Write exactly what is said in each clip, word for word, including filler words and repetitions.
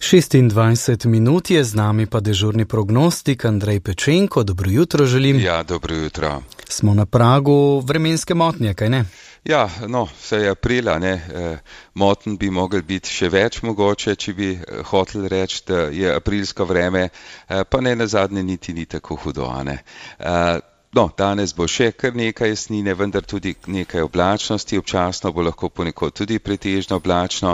šestindvajset minut je z nami pa dežurni prognostik Andrej Pečenko. Dobro jutro želim. Ja, dobro jutro. Smo na pragu vremenske motnje, kaj ne? Ja, no, vse je aprila, ne. E, moten bi mogel biti še več mogoče, če bi hotel reči, da je aprilsko vreme, e, pa ne nazadnje niti ni tako hudo, a ne. E, No, danes bo še kar nekaj jasnine, vendar tudi nekaj oblačnosti, občasno bo lahko ponekod tudi pretežno oblačno,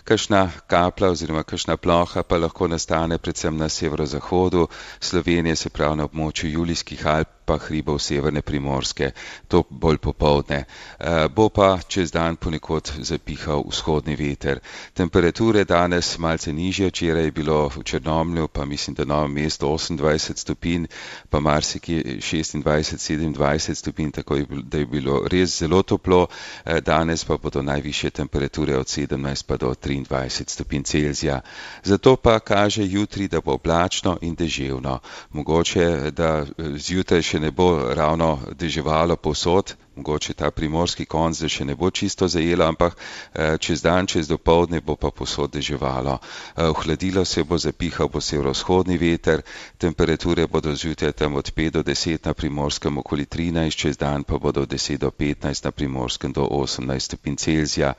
kakšna kapla oziroma kakšna ploha pa lahko nastane predvsem na severozahodu Slovenije, se pravi na območju Julijskih Alp, pa hribov severne Primorske, to bolj popoldne. E, bo pa čez dan ponekod zapihal vzhodni veter. Temperature danes malce nižje, včeraj je bilo v Črnomlju, pa mislim, da Novem mestu osemindvajset stopinj, pa marsikje šestindvajset, sedemindvajset stopinj, tako da je bilo res zelo toplo. E, danes pa bodo najvišje temperature od sedemnajst pa do triindvajset stopinj Celzija. Zato pa kaže jutri, da bo oblačno in deževno. Mogoče, da zjutraj še ne bo ravno deževalo povsod, mogoče ta primorski konc, da še ne bo čisto zajelo, ampak čez dan, čez dopoldne bo pa povsod deževalo. Ohladilo se bo, zapihal bo severovzhodni veter, temperature bodo zjutraj tam od pet do deset na Primorskem, okoli trinajst, čez dan pa bodo od deset do petnajst, na Primorskem do osemnajst stopinj Celzija.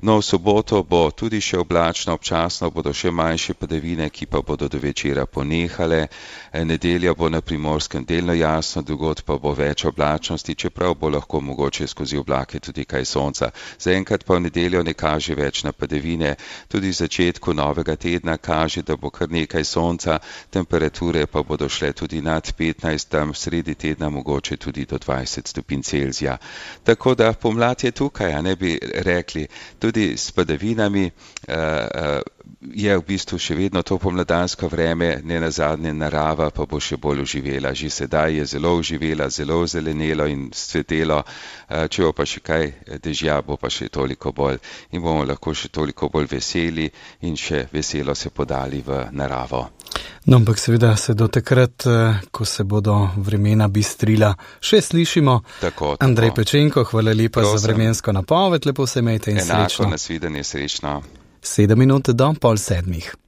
No, v soboto bo tudi še oblačno, občasno bodo še manjše padavine, ki pa bodo do večera ponehale. Nedelja bo na Primorskem delno jasno, drugod pa bo več oblačnosti, čeprav bo lahko mogoče skozi oblake tudi kaj sonca. Zaenkrat pa v nedeljo ne kaže več na padavine, tudi v začetku novega tedna kaže, da bo kar nekaj sonca, temperature pa bodo šle tudi nad petnajst, tam sredi tedna mogoče tudi do dvajset stopinj Celzija. Tako da pomlad je tukaj, a ne bi rekli, tudi s padavinami uh, uh, je v bistvu še vedno to pomladansko vreme, ne nazadnje narava pa bo še bolj oživela. Že sedaj je zelo oživela, zelo zelenelo in cvetelo, če bo pa še kaj dežja, bo pa še toliko bolj in bomo lahko še toliko bolj veseli in še veselo se podali v naravo. No, ampak seveda se do takrat, ko se bodo vremena bistrila, še slišimo. Tako, tako. Andrej Pečenko, hvala lepa Prosim. Za vremensko napoved, lepo se imejte in Enako, srečno. nasvidenje, srečno. Sedem minut do pol sedmih.